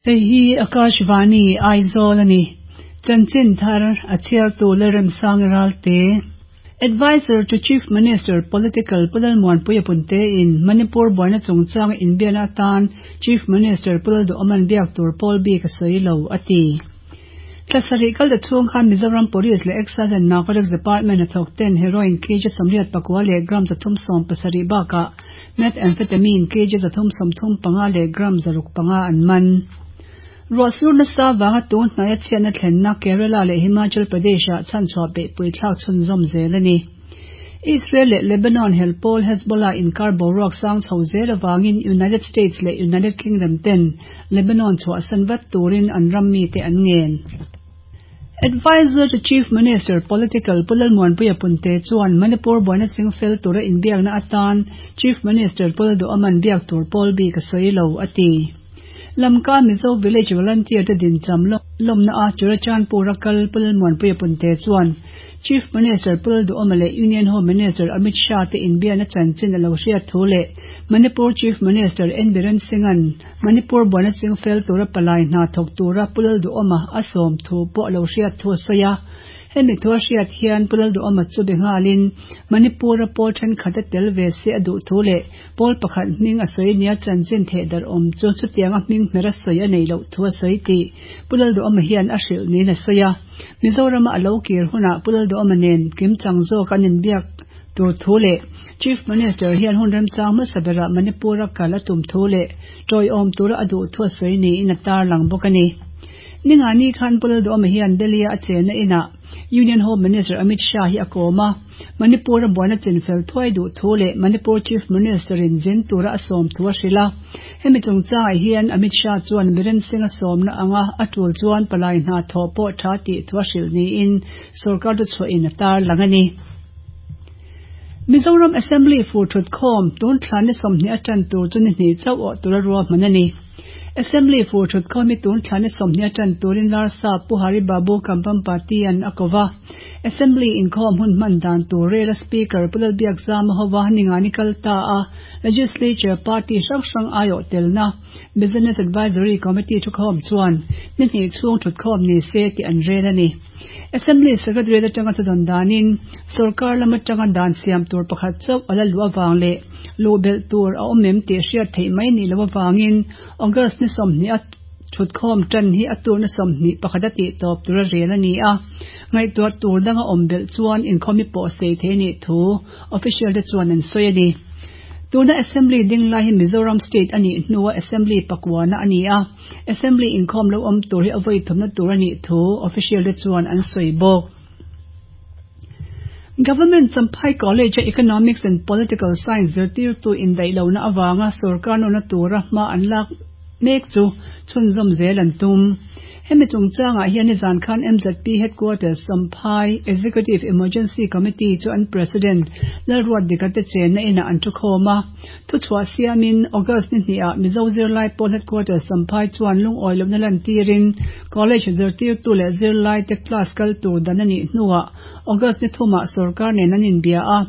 Hei hi Akashvani, Aizawl a ni. Chanchin thar a chhiartu Lalremsang Ralte. Adviser to Chief Minister, Political, Pu Lalmuanpuia Punte in Manipur buaina chungchanga inbiakna atan Chief Minister Pu Lalduhawman biak tur pawl bik a sawi lo, a ti. Thla sarih kal ta chhung khan Mizoram Police leh Excise and Narcotics Department hnathawk ten heroin kg 89 leh gram 370 bakah methamphetamine kg 335 leh gram 605 an man. Ruah sur nasa vanga tun hnaia chhiatna thlenna Kerala leh Himachal Pradesh-ah chhanchhuah beihpui thlak chhunzawm zel a ni. Israel leh Lebanon hel pawl Hezbollah inkar boruak sang chho zel avangin United States leh United Kingdom ten Lebanon chhuahsan vat turin an ram mite an ngen. Adviser to Chief Minister, Political, Pu Lalmuanpuia Punte chuan Manipur buaina chingfel tura inbiakna atan Chief Minister Pu Lalduhaman biak tur pawl bik a sawi lo, a ti. Lamka Mizo Village Volunteer te dincham lawmna a Churachandpur a kal Pu Lalmuanpuia Punte chuan Chief Minister Pu Lalduhoma leh Union Home Minister Amit Shah te inbiakna chanchin a lo hriat thu leh Manipur Chief Minister N Biren Singh-a'n Manipur buaina chingfel tura palai hna thawk tura Pu Lalduhoma a sawm thu pawh a lo hriat thu a sawi a. Hemi thu a hriat hian Pu Lalduhoma chu be nghalin Manipur-a pawl thenkhat a tel ve se a duh thu leh Pawl pakhat hming a sawi nia chanchin theh darh awm chu chutianga hming hmer a sawi a nei loh thu a sawi tih Pu Lalduhawma hian a hrilh niin a sawi a. Mizorama a lo kir hunah Pu Lalduhawma nen kimchang zawk an inbiak tur thu leh Chief Minister hian hun remchang hmasa berah Manipur-a kal a tum thu leh tawiawm tura a duh thu a sawi niin a tarlang bawk a ni. Ningani khan Pu Lalduhawma hian Delhi-a a chenna inah Union Home Minister Amit Shah hi a kawm a. Manipur-a buaina chinfel thuai duh thu leh Manipur Chief Minister-in zin tura a sawm thu a hrilh a. Hemi chungchangah hian Amit Shah chuan Biren Singh-a sawmna anga a tul chuan palai hna thawh pawh tha tih thu a hrilh niin sorkar chu chhuahin a tarlang a ni. Mizoram Assembly fur thutkhawm tun thla ni 20 atan tur chu ni hnih chauh awh tura ruahman a ni. Assembly fur thutkhawm hi tun thla ni 20 atan turin Larsa Pu Hari Babu Kambhampati-a'n a ko va. Assembly inkhawm hun hman dan tur rela Speaker Pu Lalbiakzama hova ningani kal ta a, Legislature party hrang hrang aiawh telna Business Advisory Committee thukhawm chuan ni hnih chhung thutkhawm ni se tih an rel a ni. Assembly Secretariat atanga thudawn danin sorkar lam atanga dan siam tur pakhat chauh a la luh avang leh luh belh tur a awm em tih hriat theih mai nih loh avangin August ni 20 a Thutkhawm tan hi a turna 21 a tih tawp tura rel a ni a, ngaihtuah tur danga awm belh chuan inkhawmi pawh sei thei a nih thu official te chuan an sawi a ni. Tuna Assembly ding lai hi Mizoram State a nih hnua Assembly pakuana a ni a, Assembly inkhawm lo awm tur hi a vawi thumna tur a nih thu official te chuan an sawi bawk. Government Champhai College-a Economics and Political Science zirtirtu indaih lohna avanga sorkar nawrna tura hma an lak mek chu chhunzawm zel an tum. Hemi chungchangah hian nizan khan MZP Headquarters Champhai Executive Emergency Committee chu an President Lalruat Dikate chenna inah an thukhawm a. Thuchhuah siamin August ni hnihah Mizo zirlai pawl Headquarters Champhai chuan lungawi lohna lantirin College zirtirtu leh zirlaite class kal tur dan a nih hnuah August ni thumah sorkar nen an inbia a,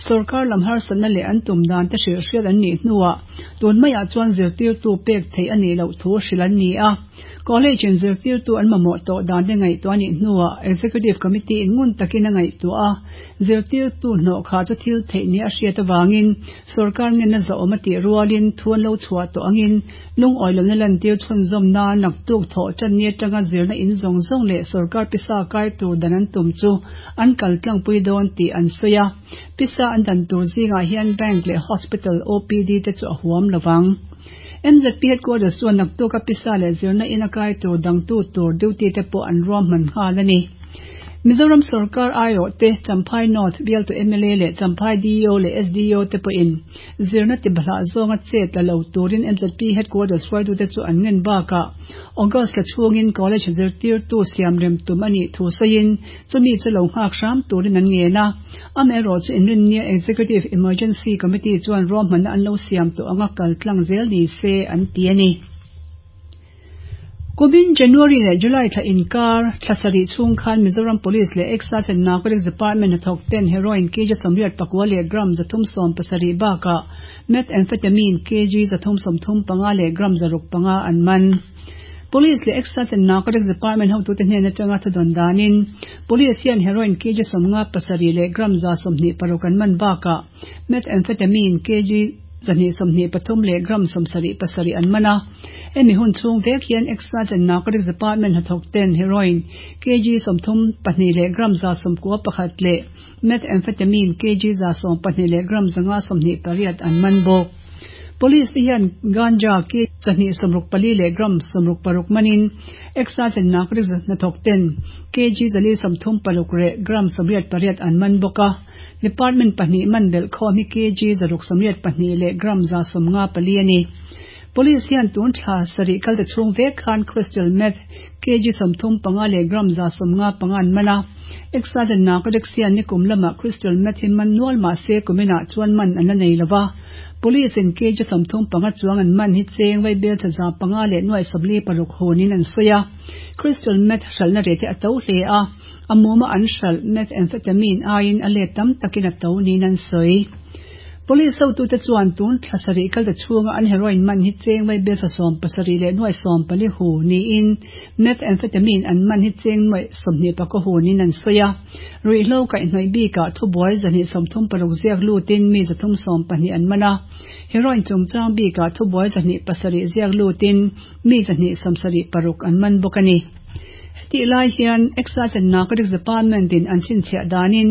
sorkar lam harsatna leh an tum dan te hrilh hriat an nih hnuah tun maiah chuan zirtirtu pek theih a nih loh thu hrilh an ni a. College in zirtirtu an mamawh tawh dan te ngaihtuah a nih hnuah Executive Committee in ngun takin a ngaihtuah a, zirtirtu hnawh khah chu thil theih nia a hriat avangin sorkar ngenna zahawm a tih rualin thu an lo chhuah tawh angin Lungawi lohna lantir chhunzawm nan naktuk thawh tan ni atanga zirna in zawng zawng leh sorkar pisa kai tur dan an tum chu an kal tlangpui dawn tih an sawi a. Pisa an dan tur zingah hian bank leh hospital OPD te chu a huam lo vang. MZP headquarters chuan naktuka pisa leh zirna in a kai tur dangtu tur duty te pawh an ruahman nghal a ni. Mizoram sorkar aiawh te, Champhai North bialtu mla leh Champhai DEO leh SDO te pawhin Zirna tibahlah zawnga chet la lo turin MZP headquarters hruaitute chu an ngen bakah August thla chhungin college zirtirtu siamrem tum a nih thu sawiin chumi chu lo nghak hram turin an ngen a. Amaherawhchu inrinnia Executive Emergency Committee chuan ruahmanna an lo siam tawh anga kal tlang zel ni se an ti a ni. Kumin January leh July thla inkar thla sarih chhung khan Mizoram Police leh Excise and Narcotics Department hnathawk ten heroin kg 84 leh gram 370 bakah methamphetamine kg 335 leh gram 605 an man. Police leh Excise and Narcotics Department hotute hnen atanga thudawn danin Police hian heroin kg 57 leh gram 126 an man bakah methamphetamine kg 223 leh gram 77 an man a. Hemi hun chhung vek hian Excise and Narcotics Department hnathawk ten heroin kg 32 leh gram 91 leh methamphetamine kg 12 leh gram 528 an man bawk. Police te hian ganja kg 264 leh gram 66 manin Excise and Narcotics hnathawk ten kg 436 leh gram 88 an man bawk a. Department pahnih man belh khawm hi kg 682 leh gram 154 a ni. Police hian tun thla sarih kalte chhung vek khan crystal meth kg 35 leh gram 155 an man a. Excise and Narcotics hian nikum lamah crystal meth hi man nual mah se kuminah chuan man an la nei lova. Police in kg 35 chuang an man hi cheng vaibel tha 500 leh nuai 46 hunin an sawi a. Crystal meth hralhna rate a to hle a, a muma an hralh methamphetamine aiin a let tam takin a to niin an sawi. Police hotute chuan tun thla sarih kalte chhunga an heroin man hi cheng vaibel tha 17 leh nuai 14 hu niin methamphetamine an man hi cheng nuai 24 hunin an sawi a. Ruihhlo kaihhnawih bikah thubuai 236 ziak lutin mi 312 an man a. Heroin chungchang bikah thubuai 207 ziak lutin mi 276 an man bawk a ni. Hetih lai hian Excise and Narcotics Department in an chhinchhiah danin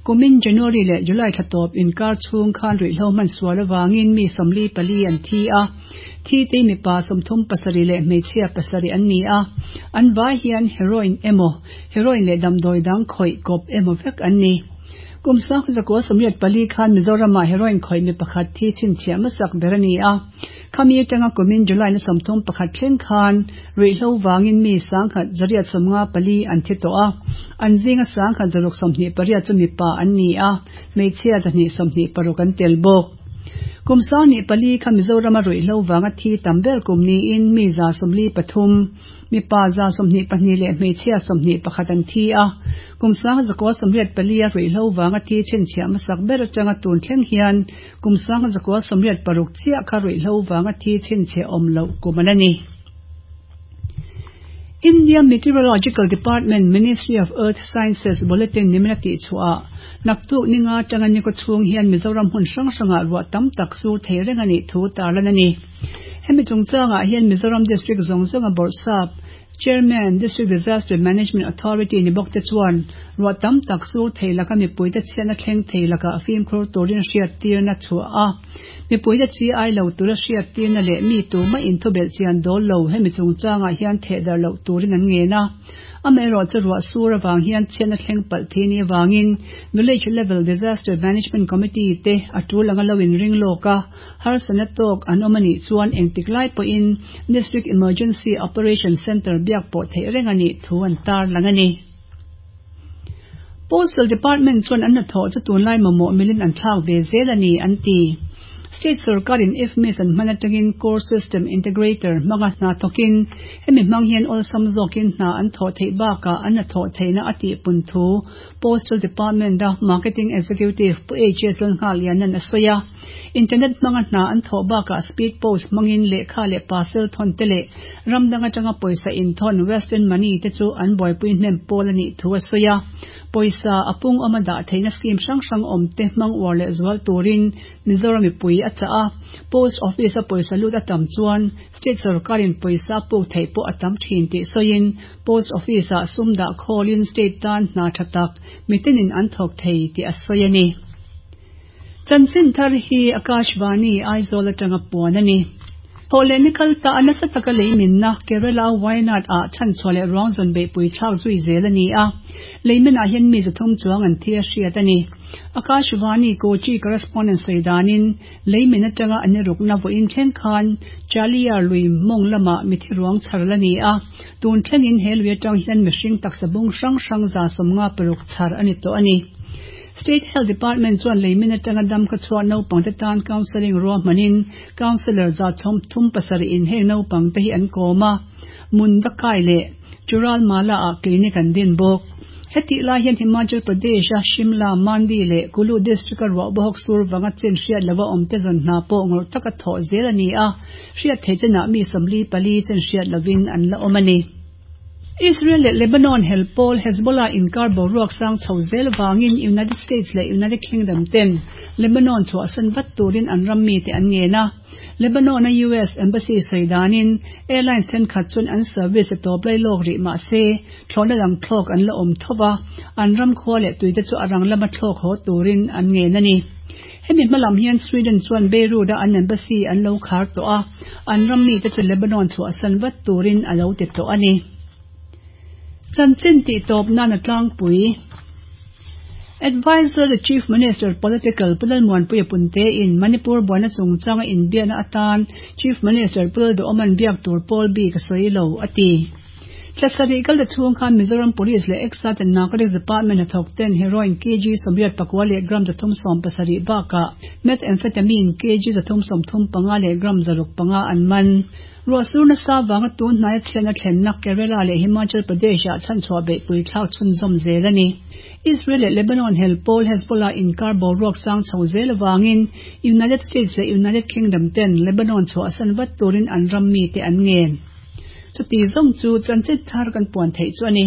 kumin January leh July thla tawp inkar chhung khan ruihhlo hman sual avangin mi 44 an thi a. Thi te mipa 37 leh hmeichhia 7 an ni a. An vai hian heroin emaw, heroin leh damdawi dang khawih kawp emaw vek an ni. Kum 1984 khan Mizoramah heroin khawih mi pakhat thi chhinchhiah hmasak ber a ni a. Khami atanga kumin July ni 31 thleng khan ruihhlo vangin mi 1854 an thi tawh a. An zinga 1628 chu mipa an ni a, hmeichhia 226 an tel bawk. Kum 24 kha Mizorama ruihhlo vanga thi tam ber kum niin mi 143, mipa 122 leh hmeichhia 21 an thi a. Kum 1984 a ruihhlo vanga thi chhinchhiah hmasak ber atanga tun thleng hian kum 1986 chiah kha ruihhlo vanga thi chhinchhiah awm loh kum an a ni. India Meteorological Department Ministry of Earth Sciences Bulletin nimina tihchhuah naktuk ninga atanga ni kawchhung hian Mizoram hmun hrang hrangah ruah tam tak sur thei reng a nih thu tarlan a ni. Hemi chungchangah hian Mizoram District zawng zawnga bawrhsap Chairman, District Disaster Management Authority ni bawk te chuan ruah tam tak sur thei laka mipuite chhiatna thleng thei lakah fimkhur turin hriattirna chhuah a. Mipuite chi ai lo tura hriattirna leh mi tumah inthubelh chian dawl lo hemi chungchangah hian thehdarh loh turin an ngen a. Amaherawh chu ruah sur avang hian chhiatna thleng palh thi ni avangin Village Level Disaster Management Committee te a tul anga lo inring lawk a, harsatna tawk an awm a nih chuan engtik lai pawhin District Emergency Operation Centre biak pawh theih reng a nih thu an tarlang a ni. Postal Department chuan an hnathawh chu tunlai mamawh milin an thlak ve zel a ni an ti. State sorkarin IFMIS an hman atangin Core System Integrator hmanga hna thawkin hemi hmang hian awlsam zawkin hna an thawh theih bakah an hnathawh theihna a tihpun thu Postal Department a Marketing Executive Pu HS Lalnghalianan a sawi a. Internet hmanga hna an thawh bakah speed post hmangin lehkha leh parcel thawn te leh ram dang atanga pawisa inthawn Western Money te chu an buaipui hnem pawl a nih thu a sawi a. Pawisa a pung awma dah theihna scheme hrang hrang awm te hmang uar leh zual turin Mizoram mipui a chah a. Post Office a pawisa lut a tam chuan State sorkarin pawisa a puk theih pawh a tam thin tih sawiin Post Office ah sum dah khawlin State tan hna tha tak mitinin an thawk thei tih a sawi a ni. Chanchin thar hi Akashvani, Aizawl atanga puan a ni. Thawhleh ni kal ta a nasa taka lei minna Kerala Wayanad ah chhanchhuah leh ruang zawn beihpui thlak zui zel a ni a. Lei minah hian mi 300 chuang an thi a hriat a ni. Akashvani Kochi correspondent sawi danin lei min atanga an irukna vawiin thleng khan Chaliyar lui mawng lamah mithi ruang chhar la ni a. Tun thlengin he lui atang hian mihring taksa bung hrang hrang 56 chhar a ni tawh a ni. State Health Department chuan leimin atanga dam kha chhuah naupangte tan counselling ruahmanin counsellor 37 in heng naupangte hi an kawm a, Mundakai leh Churalmala ah clinic an din bawk. Hetih lai hian Himachal Pradesh-a Shimla, Mandi leh Kullu district-a ruah bawk sur vanga chen hriat lova awmte zawn hna pawh ngawrh taka thawh zel a ni a, hriat theih chenah mi 44 chen hriat lovin an la awm a ni. Israel leh Lebanon hel pawl Hezbollah inkar boruak sang chho zel vangin United States leh United Kingdom ten Lebanon chhuahsan vat turin an ram mite an ngen a. Lebanon-a US Embassy sawi danin airlines thenkhat chuan an service a tawp lai lawk rih mah se thlawhna dang thlawk an la awm tho va, an ram khua leh tuite chu a rang lama thlawk haw turin an ngen a ni. Hemi hma lam hian Sweden chuan Beirut-a an embassy an lo khar tawh a, an ram mite chu Lebanon chhuahsan vat turin a lo ti tawh a ni. Chanchin tih tawp nan a tlangpui. Adviser to Chief Minister Political Pu Lalmuanpuia Punte in Manipur buaina chungchanga inbiakna atan Chief Minister Pu Lalduhawma'n biak tur pawl bik a sawi lo, a ti. Thla sarih kal ta chhung khan Mizoram Police leh Excise and Narcotics Department hnathawk ten Heroin kg 84 leh gram 370 bakah Methamphetamine kg 335 leh gram 605 an man. Ruahsur nasa vanga tun hnaia chhiatna thlenna Kerala leh Himachal Pradesh-ah chhanchhuah beihpui thlak chhunzawm zel a ni. Israel leh Lebanon hel pawl Hezbollah inkar boruak sang chho zel avangin United States leh United Kingdom ten Lebanon chhuahsan vat turin an ram mite an ngen. Chuti zawng chu chanchin thar kan puan theih chu a ni.